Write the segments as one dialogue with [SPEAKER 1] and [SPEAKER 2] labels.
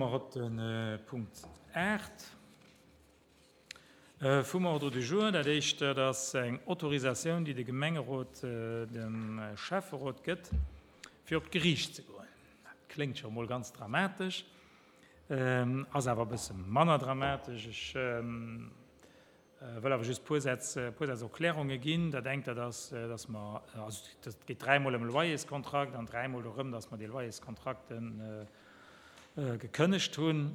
[SPEAKER 1] Komme mer op de Punkt 8 vum Ordre du jour. Dat éischt, dat ass eng Autorisatioun, déi de Gemengerot dem Schäfferot gëtt, fir op d'Geriicht ze goen. Dat kléngt scho mol ganz dramatesch, ass awer e bësse manner dramatesch. Ech wëll awer just e puer Sätz, e puer Sätz Erklärunge ginn. Dat engt, dat ass, dass mer, also et geet dräimol ëm e Loyerskontrakt an dräimol dorëm, dass mer dee Loyerskontrakt gekënnegt hunn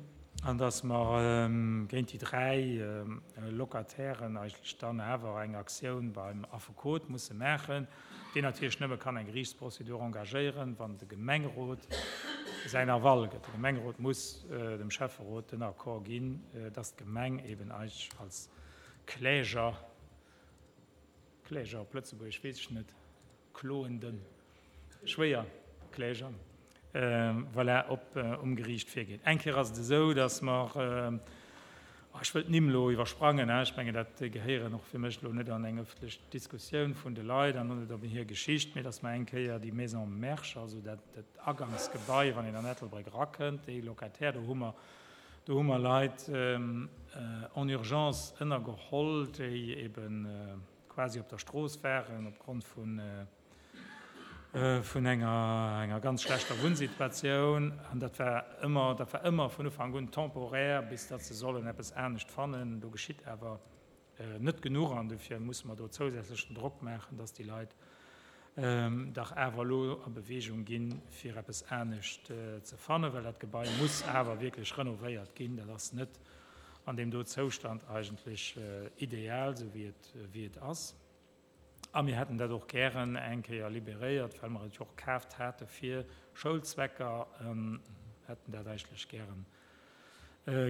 [SPEAKER 1] an dass mer géint déi 3 Locatairen eigentlech dann awer eng Aktioun beim Affekot musse maachen, deen natierlech nëmme kann eng Geriichtsprozedur engagéieren, wann de Gemengerot säin Aval gëtt. De Gemengerot muss dem Schäfferot den Accord ginn, dass d'Gemeng eben eigentlech als Kläger, Kläger op Lëtzebuergesch weess ech net, Kloenden, schwéier Kläger, voilà, op um Geriicht virgeet. Eng Kéier ass et esou, datt mer, oh, ech wëll d'Nimm elo iwwersprangen, ech mengen, dat gehéieren och fir mech elo net an eng ëffentlech Diskussioun vun de Leit an och net op hir Geschicht, mee datt mer eng Kéier déi Maison Mersch, also dat Agangsgebai, wann een an Ettelbréck erakënnt, déi Locataire, do hu mer, do hu mer Leit en urgence ënnergeholl, déi eben, quasi op der Strooss waren opgrond vun vun enger enger ganz schlechter Wunnsituatioun. An dat war ëmmer, dat war ëmmer vun Ufank un temporär, bis datt se sollen eppes anescht fannen. Do geschitt awer net genuch an dofir musse mer do zousätzlechen Drock maachen, datt déi Leit dach awer elo a Bewegung ginn, fir eppes anescht ze fannen, well dat Gebai muss awer wierklech renovéiert ginn. Dat ass net an deem do Zoustand eigentlech ideal, esou wéi et, wéi et ass. A mir hätten dat och gären eng Kéier liberéiert, well mer et jo och kaaft hate fir Schoulzwecker, hätten dat eigentlech gären,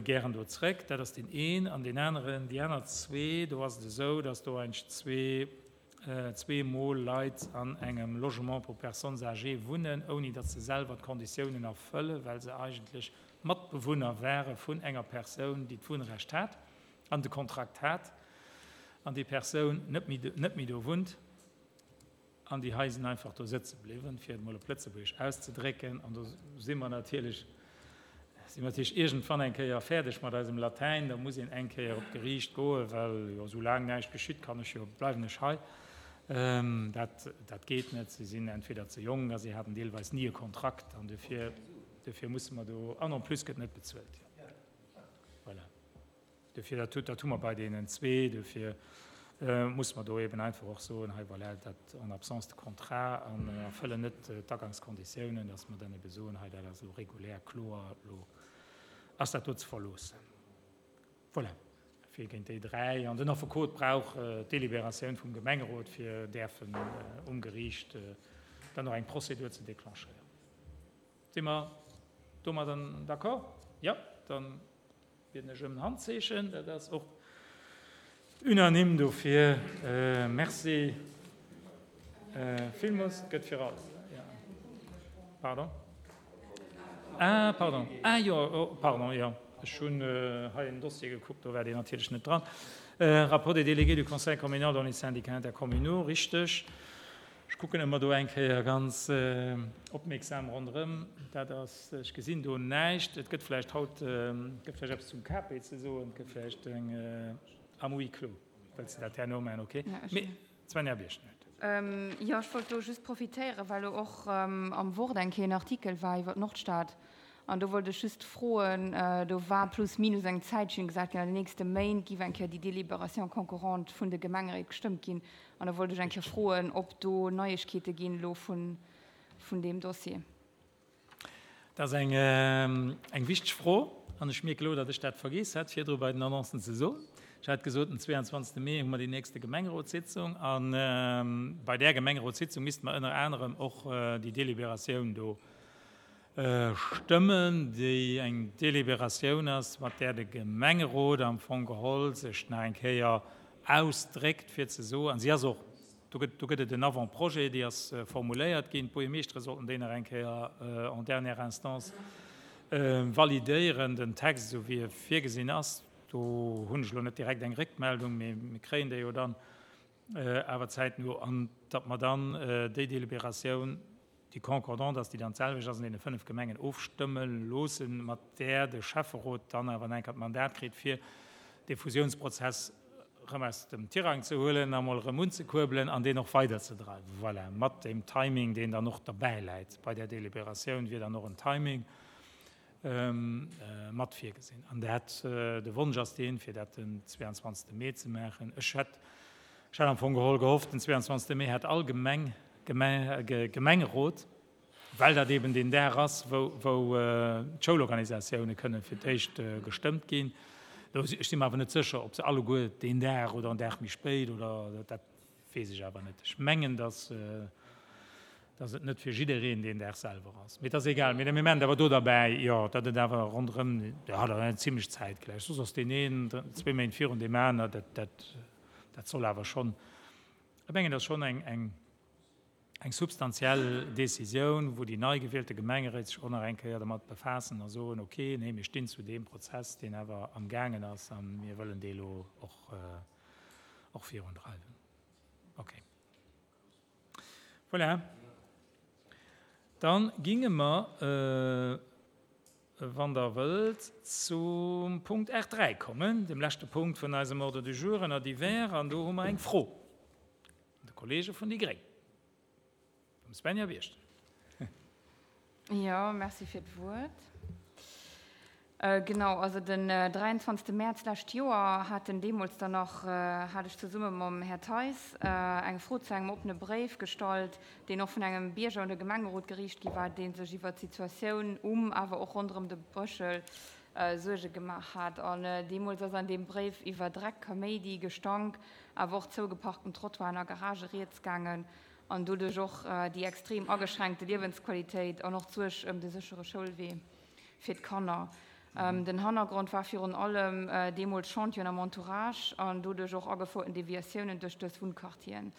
[SPEAKER 1] gären do zréck. Dat ass deen een. An deen aneren, déi aner zwee, do ass et esou, dass do eigentlech zwee, zweemol Leit an engem Logement pour personnes âgées wunnen, ouni datt se selwer d'Konditiounen erfëllen, well se eigentlech Matbewunner ware vun enger Persoun, déi d'Wunnrecht hat an de Kontrakt hat, an déi Persoun net méi, net méi do wunnt, an déi hei sinn einfach do sëtze bliwwen, fir et emol op Lëtzebuergesch auszedrécken. An do si mer natierlech, si mer natierlech iergendwann eng Kéier fäerdeg mat eisem Latäin, da muss een eng Kéier op d'Geriicht goen, well jo soulaang näischt geschitt, kann ech jo, bleiwen ech hei. Dat, dat geet net. Si sinn entweder ze jonk a si haten deelweis ni e Kontrakt an dofir, dofir musse mer do, an en plus gëtt net bezuelt. Voilà. Dofir, dat, dat hu mer bei deenen zwee, dofir muss mer do eben einfach och soen, hei voilà, dat en absence de contrat an erfëllen net d'Agangskonditiounen, dass mer dann ebe soen, hei dat ass elo regulär, kloer, elo ass dat do ze verloossen. Voilà, fir géint déi dräi. An den Affekot brauch d'Deliberatioun vum Gemengerot, fir däerfen um Geriicht dann och eng Prozedur ze declenchéieren. Si mer domadder d'accord? Jo, dann Bieden ech ëm en Handzeechen. Dat ass och unanime dofir. Merci villmools. Et gëtt fir all. Pardon. Ah, pardon. Ah jo, oh, pardon, jo. Ech hunn hei en Dossier gekuckt, do war deen natierlech net dran. Rapport des délégués du Conseil communal dans les syndicats intercommunaux, richteg. Ech kucken ëmmer do eng Kéier ganz opmierksam ronderëm. Dat ass, ech gesinn do näischt. Et gëtt vläicht haut, et gëtt vläicht eppes zum KP ze soen, et gëtt vläicht eng am Huis clos. Wëlls de dat herno maachen? Okay. Mee d'Svenja Birchen huet.
[SPEAKER 2] Jo, ech wollt do just profitéieren, well elo och am Wort eng Kéier en Artikel war iwwer d'Nordstad. An do wollt ech just froen, do war plus minus eng Zäitchen gesat ginn, an den nächste Méint giff eng Kéier déi Délibération concurrente vun de Gemengeréit gestëmmt ginn. An da wollt ech eng Kéier froen, ob do Neiegkeete ginn elo vun, vun deem Dossier.
[SPEAKER 1] Dat ass eng, eng wichteg Fro. An ech mierke elo, datt ech dat vergiess hat, virdru bei den Annoncen ze soen. Ech hat gesot, den 22. Mee hu mer déi nächste Gemengerotssitzung. A bei där Gemengerotssitzung misste mer ënner anerem och déi Délibératioun do Stëmmen, déi eng Deliberatioun ass, mat där de Gemengerot am Fong geholl sech nach eng Kéier ausdréckt, fir ze soen, an si ass och, do gëtt, do gëtt et en Avant-projet, déi ass formuléiert ginn, d'Buergermeeschtere sollten déi nach eng Kéier en dernière instance validéieren, den Text, esou wéi e virgesinn ass. Do hunn ech elo net direkt eng Réckmeldung, mee mir kréien déi jo dann awer zäitno, an datt mer dann déi Deliberatioun. déi concordant ass, déi dann d'selwecht ass an deene 5 Gemengen, ofstëmme loossen, mat där de Schäfferot dann awer nach eng Kéier d'Mandat kritt, fir dee Fusionsprozess erëm aus dem Tirang ze huelen a mol erëm unzekuerbelen an deen och weiderzedreiwen. Voilà, mat deem Timing, deen dann och derbäiläit. Bei där Deliberatioun wier dann och en Timing mat virgesinn. An dat, de Wonsch ass deen, fir dat den 22. Mee ze maachen. Ech hätt, ech hat am Fong geholl gehofft, den 22. Mee hätt all Gemeng Gemengerot, well dat eben deen Dag ass, wou d'Schoulorganisatioune kënne fir d'éischt gestëmmt ginn. Ech si mer awer net sécher, ob se alleguer deen Dag oder en Dag méi spéit oder dat weess ech awer net. Ech mengen, datt et net fir jiddereen deen Dag selwer ass. Mee et ass egal. Mee mir maachen et awer do derbäi, jo, datt et awer ronderëm, jo, dat ass zimlech zäitgläich. Soss ass deen een zwee Méint virun deem aner. Dat soll awer schonn, ech mengen, dat ass schonn eng eng substantiell Décisioun, wou déi nei gewielte Gemengeréit sech och nach eng Kéier dermat befaassen a soen, okay, nee, mir stinn zu deem Prozess, deen awer amgaangen ass a mir wëllen dee elo och, och virundreiwen. Okay. Voilà. Dann ginge mer, wann Der wëllt, zum Punkt R3 kommen, dem leschte Punkt vun eisem Ordre du jour ënner Divers, an do hu mer eng Fro. De Kollege vun déi Gréng, dem Svenja Wirsch.
[SPEAKER 2] Jo, merci fir d'Wuert. Genau, also den 23. Mäerz d'lescht Joer haten deemools dann nach, hat ech zesumme mam Här Theis eng Fro zu engem oppene Bréif gestallt, deen och vun engem Bierger un de Gemengerot geriicht gi war, dee sech iwwert d'Situatioun um, awer och ronderëm de Bréchel Suerge gemaach hat. An deemools ass an deem Bréif iwwer Dreck, Kaméidi, Gestank, awer och zougeparkten Trottoiren a Garagë rieds gaangen an doduerch och déi extrem ageschränkte Liewensqualitéit an och d'Suerg ëm de séchere Schoulwee fir d'Kanner. Den Hannergrond war virun allem deemools Chantieren am Entourage an doduerch och agefouerten Deviatiounen duerch dës Wunnquartieren.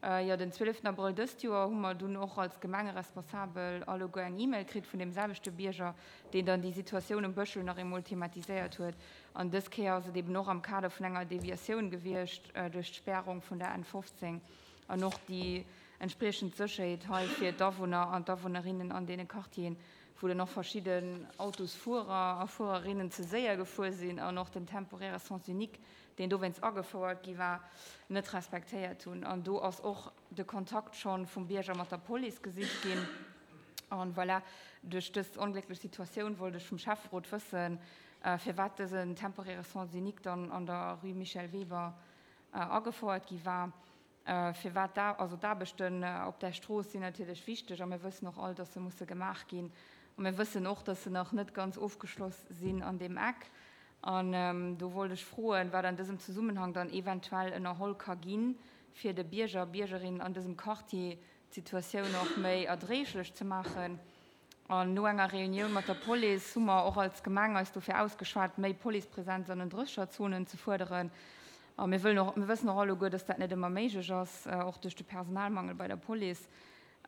[SPEAKER 2] Jo, den 12 Abrëll dëst Joer hu mer dunn och als Gemengeresponsabel alleguer eng E-Mail kritt vun deem selwechte Bierger, deen dann déi Situatioun um Bëschel nach eemol thematiséiert huet. An dës Kéier ass et eben och am Kader vun enger Deviatioun gewiescht duerch d'Spärung vun der N 15 an och déi entspriechend Sécherheet hei fir d'Awunner an d'Awunnerinnen an deene Quartieren, wou dann och verschidden Autosfuerer a Fuererinnen ze séier gefuer sinn an och den temporäre Sens unique, deen dowéinst agefouert gi war, net respektéiert hunn. An do ass och de Kontakt scho vum Bierger mat der Police gesicht ginn. An voilà, duerch dës onglécklech Situatioun wollt ech vum Schäfferot wëssen, firwat dësen temporäre Sens unique dann an der Rue Michel Weber agefouert gi war. Firwat da, also d'Aarbechten op där Strooss sinn natierlech wichteg a mir wëssen och all, dass se musse gemaach ginn. A mir wëssen och, dass se nach net ganz ofgeschloss sinn an deem Eck. An do wollt ech froen, wat an dësem Zesummenhang dann eventuell ënnerholl ka ginn, fir de Bierger a Biergerinnen an dësem Quartier d'Situatioun och méi erdréiglech ze maachen. An no enger Reunioun mat der Police hu mer och als Gemeng eis dofir ausgeschwat, méi Policepresenz an den Drécherzonen ze fuerderen. A mir wëllen och, mir wëssen och alleguer, dass dat net ëmmer méiglech ass, och duerch de Personalmangel bei der Police.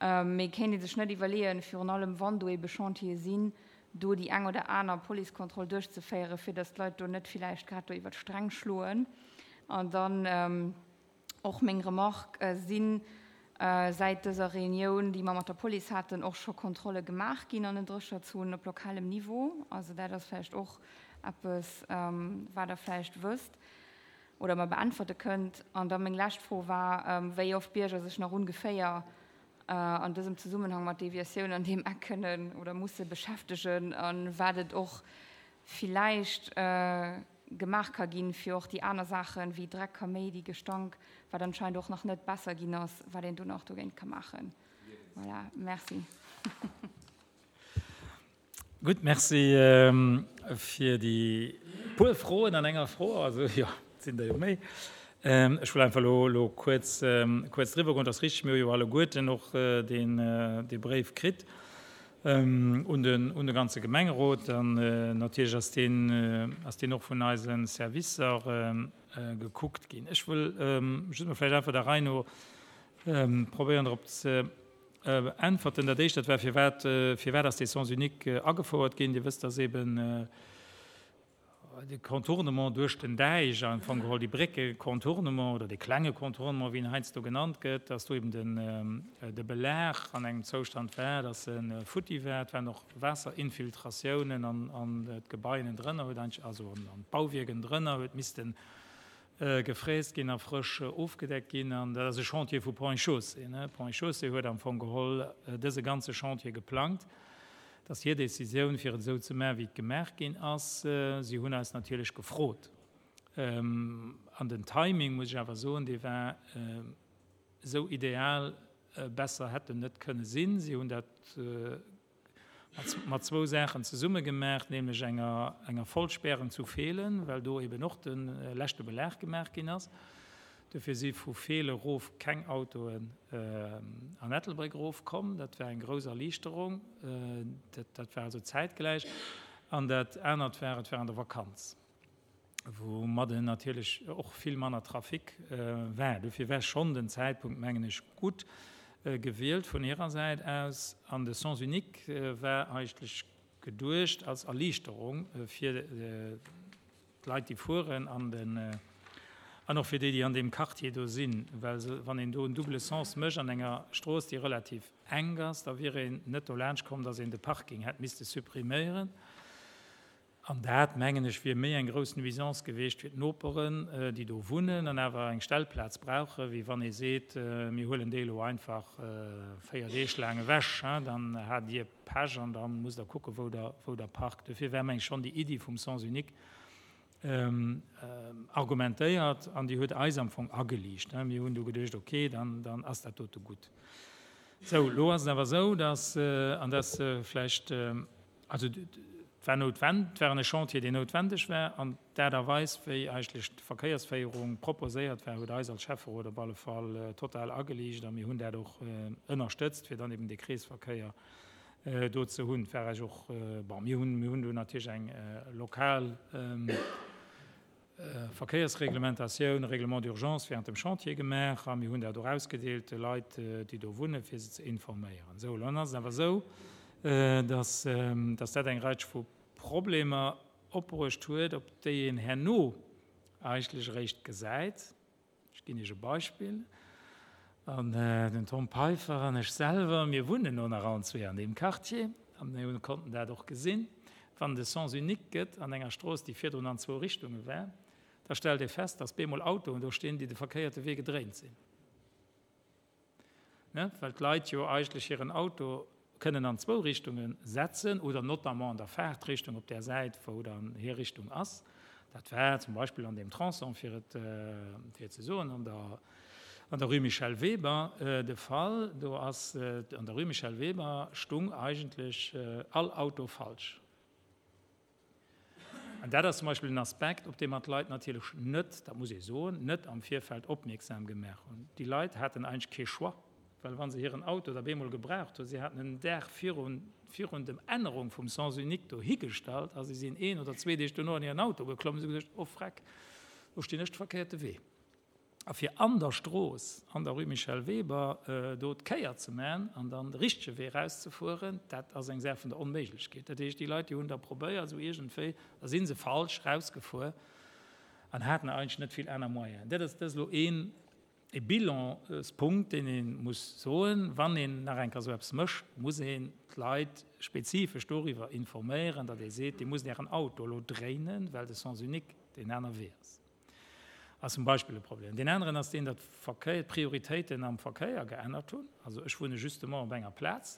[SPEAKER 2] Mee kéint ee sech net iwwerleeën, virun allem wann do ebe Chantiere sinn, do déi eng oder aner Policekontroll duerchzeféieren, fir dass d'Leit do net villäicht grad do iwwer d'Stränг schloen? An dann och meng Remarque, Si säit dëser Reunioun, déi mer mat der Police haten, och scho Kontrolle gemaach ginn an den Drécherzonen op lokalem Niveau? Also dat ass vläicht och eppes, wat Der vläicht wësst oder mer beäntwerte kënnt. An da meng lescht Fro war, wéi oft d'Bierger sech nach ongeféier an dësem Zesummenhang mat Deviatioun an deem Eck kënnen oder musse beschäftegen a wat et och villäicht gemaach ka ginn, fir och déi aner Saachen, wéi Dreck, Kaméidi, Gestank, wat anscheinend och nach net besser ginn ass, wat een do nach dogéint ka maachen. Voilà, merci.
[SPEAKER 1] Gutt, merci fir déi puer Froen an enger Fro. Also jo, et sinn der jo méi. Ech wëll einfach elo elo kuerz kuerz driwwer goen. Et ass richteg, mir hu jo alleguerten och deen dee Bréif kritt un den un de ganze Gemengerot. An natierlech ass deen ass deen och vun eise Servicer gekuckt ginn. Ech wëll just mol vläicht einfach der Rei no probéieren drop ze Äntwerten. Dat éischt, dat war, firwat, firwat ass dee Sens unique agefouert ginn? Dir wësst, dass eeben. De Contournement duerch den Däich, am Fong geholl déi Brécke Contournement oder dee klenge Contournement, wéi en heiansdo genannt gëtt, dass do eben den, de Belag an engem Zoustand war, dass e futti war. Et waren och Waasserinfiltratiounen an, an d'Gebai ënnendrënner huet eigentlech, also an, an d'Bauwierk ënnendrënner huet missten gefräst ginn a frësch ofgedeckt ginn. An dat ass e Chantier vu Ponts et Chaussées. Ponts et Chaussées huet am Fong geholl dëse ganze Chantier geplangt. Et ass hir Décisioun, fir et esou ze maachen, wéi et gemaach ginn ass. Si hunn eis natierlech gefrot. An den Timing, muss ech awer soen, dee war esou ideal, besser hätt en net kënne sinn. Si hunn dat mat zwou Saachen zesumme gemaach, nämlech enger enger Vollspärung zu Feelen, well do eben och de leschte Belag gemaach ginn ass. Dofir si vu Feele rof keng Autoen an Ettelbréck erof komm. Dat war eng grouss Erliichterung. Dat war also zäitgläich. An dat anert war, et war an der Vakanz, woumadde natierlech och vill manner Trafic war. Dofir war schonn den Zäitpunkt, mengen ech, gutt gewielt vun hirer Säit aus. An de Sens unique war eigentlech geduecht als Erliichterung fir d'Leit, déi fueren, an den, an och fir déi, déi an deem Quartier do sinn. Well se, wann een do en double Sens mécht an enger Strooss, déi relativ enk ass, da wier een net dolaanscht komm, datt een de Parking hätt misste suppriméieren. An dat, mengen ech, wier méi eng grouss Nuisance geweecht fir d'Noperen, déi do wunnen an awer eng Stellplaz brauchen, wéi wann ee seet, mir huelen déi elo einfach 4 Deeg laang ewech, dann hat Dir Pech an da musst Der kucken, wou Der, wou Der parkt. Dofir war, meng ech, schonn déi Iddi vum Sens unique argumentéiert an déi huet eis am Fong ageliicht. Mir hunn du geduecht, okay, dann, dann ass dat dote gutt. Sou, elo ass et awer esou, dass, an dat ass vläicht, also et war noutwend, et war e Chantier, deen noutwendeg war an d'Aart a Weis, wéi eigentlech d'Verkéiersféierung proposéiert war, huet eis als Schäfferot op alle Fall total ageliicht a mir hunn dat och ënnerstëtzt, fir dann eben dee Kreesverkéier do ze hunn. Et war eis och, bon, mir hunn, mir hunn do natierlech eng lokal Verkéiersreglementatioun, Règlement d'urgence während dem Chantier gemaach a mir hunn dat och ausgedeelt de Leit, déi do wunnen, fir se ze informéieren. Sou, elo ass et awer esou, dass, dass dat eng Reitsch vu Problemer opbruecht huet, op déi een herno eigentlech eréischt gesäit. Ech ginn Iech e Beispill, An den Tom Peiffer an ech selwer, mir wunnen elo nach allen zwee an deem Quartier a mir konnten dat och gesinn, wann et e Sens unique gëtt an enger Strooss, déi virdrun an zwou Richtunge war, da stellt ee fest, datt bemol Autoen do stinn, déi de verkéierte Wee gedréint sinn. Ne, well d'Leit jo eigentlech hiren Auto kënnen an zwou Richtunge setzen oder notamment an der Fahrtrichtung op där Säit, wou dann hir Richtung ass. Dat war zum Beispill an deem Tronçon, fir et, fir et ze soen, an der, an der Rue Michel Weber de Fall. Do ass, an der Rue Michel Weber stung eigentlech all Auto falsch. An dat ass zum Beispill en Aspekt, op dee mer d'Leit natierlech net, dat muss ee soen, net am Virfeld opmierksam gemaach hunn. Déi Leit haten eigentlech kee Choix, well wa se hiren Auto da bemol gebraucht hunn, si haten en Dag virun, virun dem Ännerung vum Sens unique do higestallt a si sinn een oder zwee Deeg dono an hiren Auto geklomm a si hu geduecht, Oh Freck, do stinn ech de verkéierte Wee. A fir an der Strooss, an der Rue Michel Weber, do d'Kéier ze man an dann de richtege Wee erauszefueren, dat ass eng Saach vun der Onméiglechkeet. Dat heescht, déi Leit, déi hunn da probéiert, esou iergendwéi, da si se falsch erausgefuer an haten eigentlech net vill aner Moyenen. Dat ass, dat ass elo een, e Bilanspunkt, deen ee muss soen, Wann een nach eng Kéier esou eppes mécht, muss een d'Leit spezifesch doriwwer informéieren, datt ee seet, Dir musst Ären Auto elo dréinen, well de Sens unique deen aner Wee ass. Ass zum Beispill e Problem. Deen aneren ass deen, datt d'Verkéier, d'Prioritéiten am Verkéier geännert hunn. Also ech wunne justement op enger Plaz,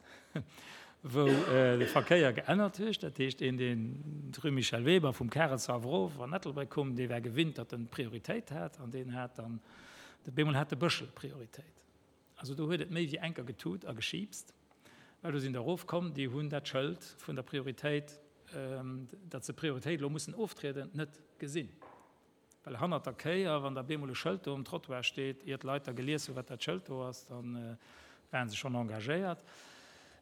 [SPEAKER 1] wou de Verkéier geännert huet. Dat heescht, een, deen d'Rue Michel Weber vum Karelshaff erof an Ettelbréck koum, dee war gewinnt, datt en d'Prioritéit hat an deen hat dann, bemol hat de Bëschel Prioritéit. Also do huet et méi wéi enker getut a geschiipst, well do sinn der erofkomm, déi hunn dat Schëld vun der Prioritéit, datt se Prioritéit elo mussen oftrieden, net gesinn. Well hannert der Kéier, wann da bemol e Schëld do um Trottoir steet, ier d'Leit da gelies hunn, wat dat Schëld do ass, da ware se schonn engagéiert.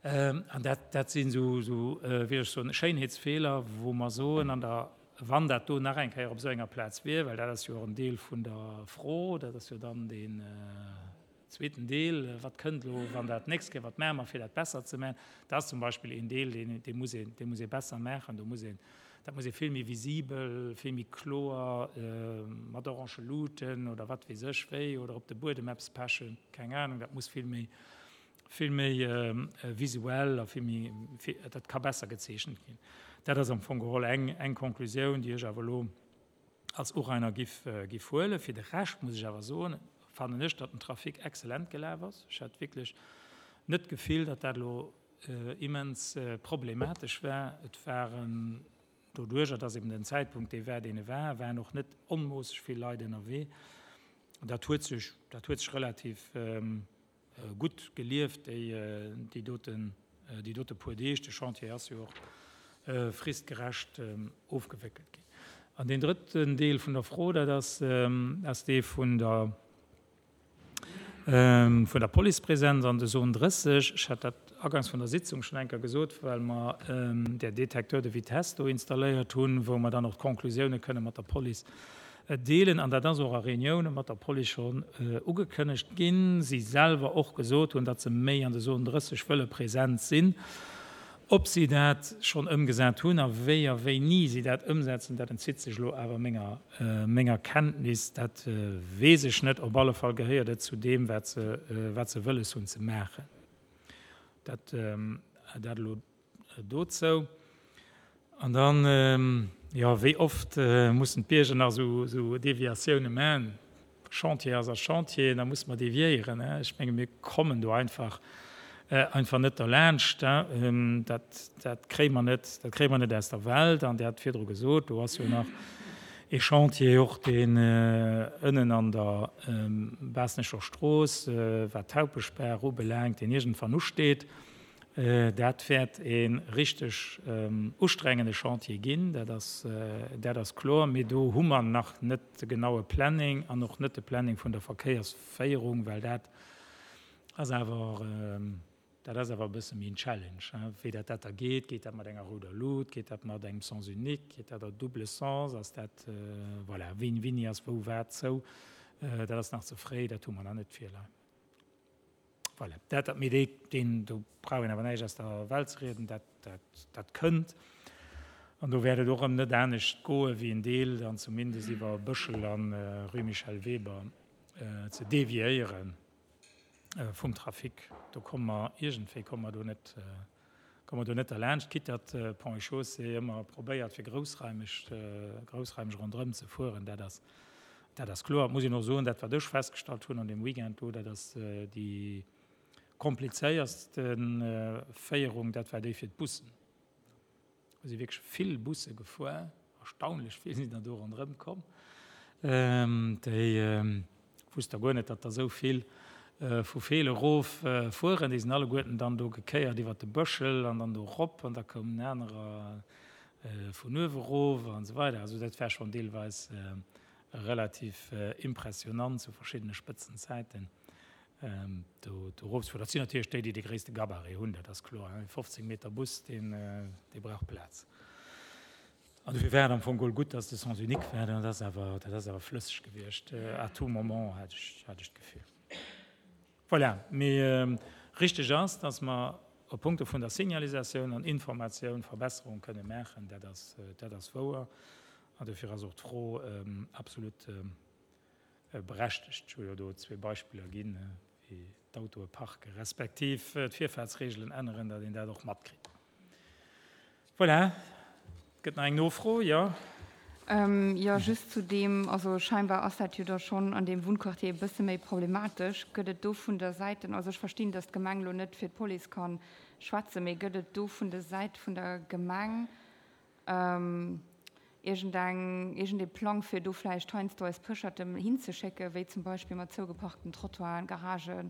[SPEAKER 1] An dat, dat sinn esou, esou, wéi ech soen, Schéinheetsfeeler, wou mer soen, an der, wann dat do nach eng Kéier op esou enger Plaz wier, well dat ass jo och en Deel vun der Fro, dat ass jo dann deen zweeten Deel, wat kënnt elo, wann dat d'nächst Kéier, wat maache mer, fir dat besser ze maachen? Dat ass zum Beispill een Deel, deen, dee muss een, dee muss ee besser maachen. Do muss een. Dat muss ee vill méi visibel, vill méi kloer mat orange Luuten oder wat weess ech wéi oder op de Buedem eppes pechen, keng Ahnung. Dat muss vill méi, vill méi visuell a vill méi, dat ka besser gezeechent ginn. Dat ass am Fong geholl eng, eng Konklusioun, déi ech awer elo als Urainer giff, giff huelen. Fir de Rescht muss ech awer soen, fannen ech, datt den Trafic excellent gelaf ass. Ech hat wierklech net d'Gefill, datt dat elo immens problematesch war. Et waren, doduerjer dass eben den Zäitpunkt dee war, deen e war, waren och net onmoosseg vill Leit ënnerwee. Dat huet sech, dat huet sech relativ gutt gelieft, déi, déi doten, déi dote puer Deeg. De Chantier ass jo och fristgerecht ofgewéckelt ginn. An deen drëtten Deel vun der Fro, dat ass, ass dee vun der, Vun der Policepresenz an de Zone 30, ech hat dat agangs vun der Sitzung schonn eng Kéier gesot, well mer där Détecteur de vitesse do installéiert hunn, wou mer dann och d'Conclusioune kënne mat der Police deelen. An dat ass och a Reunioune mat der Police schonn ugekënnegt ginn. Si selwer och gesot hunn, datt se méi an de Zone 30 wëlle present sinn. Ob si dat schonn ëmgesat hunn a wéi a wéini si dat ëmsetzen, dat entzitt sech elo awer menger, menger Kenntnis. Dat weess ech net. Op alle Fall gehéiert et zu deem, wat se, wat se wëlles hunn ze maachen. Dat, dat elo dozou. An dann, jo, wéi oft mussen d'Bierger nach esou, esou Deviatioune maachen? Chantier ass a Chantier, da muss mer deviéieren. Ech menge mir kommen do einfach einfach net derlaanscht. Dat dat kréie mer net, dat kréie mer net aus der Welt. An Dir hat virdru gesot, do ass jo nach ee Chantier och, deen ënnen an der Baasnecher Strooss, wat d'Haupeschbaach ubelaangt, deen iergendwann usteet. Dat wäert ee richteg ustrengende Chantier ginn, dat ass, dat ass kloer. Mee do hu mer nach net de genaue Planning an och net de Planning vun der Verkéiersféierung, well dat ass awer, dat ass awer e bësse méi en Challenge, wéi dat dat da geet. Geet dat mat enger rouder Lut, geet dat mat engem Sens unique, geet dat a double sens, ass dat, voilà, wien, wéini ass wou wat zou? Dat ass nach ze fréi, dat hu mer nach net virleien. Voilà, dat, dat, mee dee, deen, do brauch een awer näischt aus der Welt ze rieden, dat, dat, dat kënnt. An do wäert et och erëm net anescht goe wéi en Deel dann zumindest iwwer Bëschel an Rue Michel Weber ze deviéiere vum Trafic. Do komme mer, iergendwéi komme mer do net, komme mer do net derlaanscht, quitte datt Ponts et Chaussées ëmmer probéiert fir groussraimeg, groussraimeg ronderëm ze fueren. Dat ass, dat ass kloer. Et muss een och soen, dat wat ech festgestallt hunn an deem Weekend do, dat ass déi komplizéierste Féierung, dat war déi fir d'Bussen. Do si wierklech vill Busse gefuer, erstaunlech vill sinn der do ronderëm komm. Déi wusst der guer net, datt der esou vill vu Feel erof fueren. Déi sinn alleguerten dann do gekéiert iwwer de Bëschel an dann do erop an da koumen anerer vun uewe erof an esou weider. Also dat war schonn deelweis relativ impressionant zu verschiddene Spëtzenzäiten do erofzefueren. Dat sinn natierlech déi, déi de gréisste Gabarit hunn, dat ass kloer. E 15 Meter Bus, deen brauch Plaz. An dofir war et am Fong geholl gutt, dass de Sens unique war. Dat ass awer, dat ass awer flësseg gewiescht à tout moment, hat ech, hat ech d'Gefill. Voilà. Mee richteg ass, dass mer op Punkte vun der Signalisatioun an Informatioun Verbesserung kënne maachen. Dat ass, dat ass wouer. An dofir ass och d'Fro absolut Berechtegt. Ech hu jo do zwee Beispiller ginn, wéi d'Autoe parke respektiv d'Virfaartsreegelen änneren, datt een dat och matkritt. Voilà, et gëtt nach eng Nofro, jo.
[SPEAKER 2] Jo, just zu deem, also scheinbar ass dat jo da schonn an deem Wunnquartier e bësse méi problematesch. Gëtt et do vun der Säiten, also ech verstinn, datt d'Gemeng elo net fir d'Police ka schwätzen, mee gëtt et do vun der Säit vun der Gemeng Iergendeng, iergendee Plang, fir do vläicht heiansdo eis Pëscherten hinzeschécken, wéi zum Beispill mat zougeparkten Trottoiren, Garagen,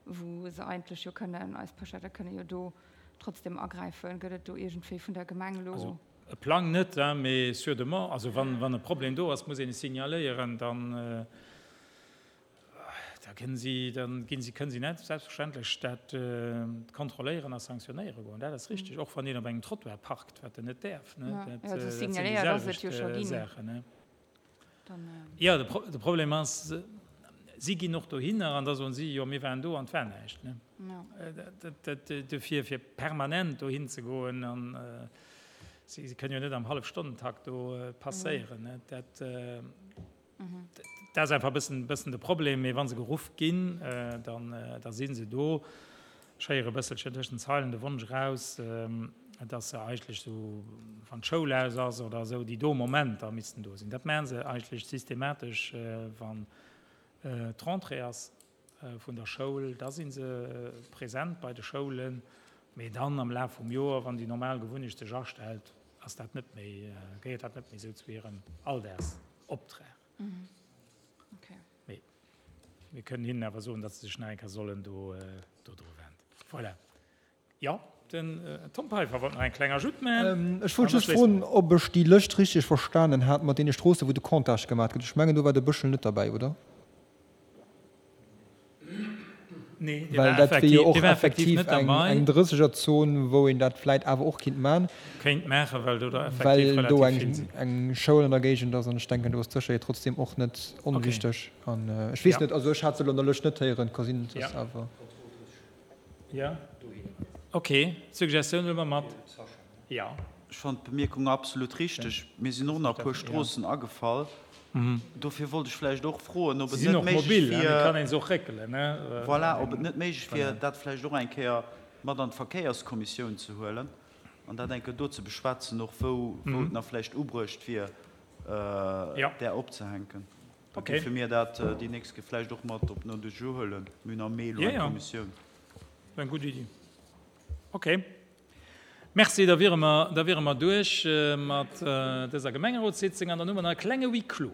[SPEAKER 2] wou se eigentlech jo kënnen, eis Pëscherte kënne jo do trotzdem agräifen. Gëtt et do iergendwéi vun der Gemeng elo.
[SPEAKER 1] Also e Plang net, mee sur demande. Also wann, wann e Problem do ass, muss een e signaléieren, dann. Da kënnen si, da ginn si, kënnen si net selbstverständlech dat kontrolléieren a sanktionéiere goen. Dat ass richteg, och wann een op engem Trottoir parkt, wat en net däerf.
[SPEAKER 2] Dat sinn déi selwecht
[SPEAKER 1] Saachen. Jo, de Problem ass, si ginn och dohinner an da soen si, jo mir waren do an et war näischt. Dofir, fir permanent dohin ze goen an. Si kënnen jo net am Hallefstonnentakt do passéieren. Dat ass einfach e bëssen, bëssen de Problem. Mee wa se geruff ginn, dann, da si se do. Ech héiere e bësselchen tëscht den Zeilen de Wonsch eraus, dass se eigentlech esou, wann d'Schoul aus ass oder esou, déi do Momenter missten do sinn. Dat maache se eigentlech systematesch, wann d'Rentrée ass vun der Schoul, da si se present bei de Schoulen. Mee dann am Laf vum Joer, wann déi normal Gewunnecht sech astellt, ass dat net méi, gehéiert dat net méi esou zu hirem Alldagsoptrag. Mee mir kënnen hinnen awer soen, datt se sech nach eng Kéier sollen do dru wenden. Voilà. Jo, den Tom Peiffer wollt nach eng kleng Ajoute maachen.
[SPEAKER 3] Ech wollt just froen, ob ech déi Lëscht richteg verstanen hat mat deene Stroossen, wou de Comptage gemaat gëtt. Ech mengen, do war de Bëschel net derbäi, oder?
[SPEAKER 1] Nee,
[SPEAKER 3] dee war effektiv, jo och effektiv net derbäi. Eng Drëssegerzon, wou een dat vläit awer och kinnt man.
[SPEAKER 1] Kéint maachen, well do der effektiv
[SPEAKER 3] relativ vill sinn. Well do eng Schoul an der Géigend ass an ech denken, do ass d'Sécherheet trotzdem och net onwichteg. An ech weess net, also ech hat se elo an der Lëscht net héieren, ka sinn, dass awer.
[SPEAKER 1] Jo, ok, d'Suggestioun huele mer mat. Jo.
[SPEAKER 4] Ech fannen d'Bemierkung absolut richteg. Mir sinn och nach e puer Stroossen agefall. Dofir wollt ech vläicht och froen, ob et net méiglech wier, voilà, ob et net méiglech wier, dat vläicht och eng Kéier mat an d'Verkéierskommissioun ze huelen an dat eng Kéier do ze beschwätzen, och wou et nach vläicht ubruecht wier, där opzehänken. Da géife mir dat déi nächst Kéier vläicht och mat op den Ordre du jour huelen. Mir hunn am Mee elo eng Kommissioun.
[SPEAKER 1] Eng gutt Iddi. Okay. Merci, da wiere mer, da wiere mer duerch mat dëser Gemengerotssitzung an dann hu mer nach e klenge Huis clos.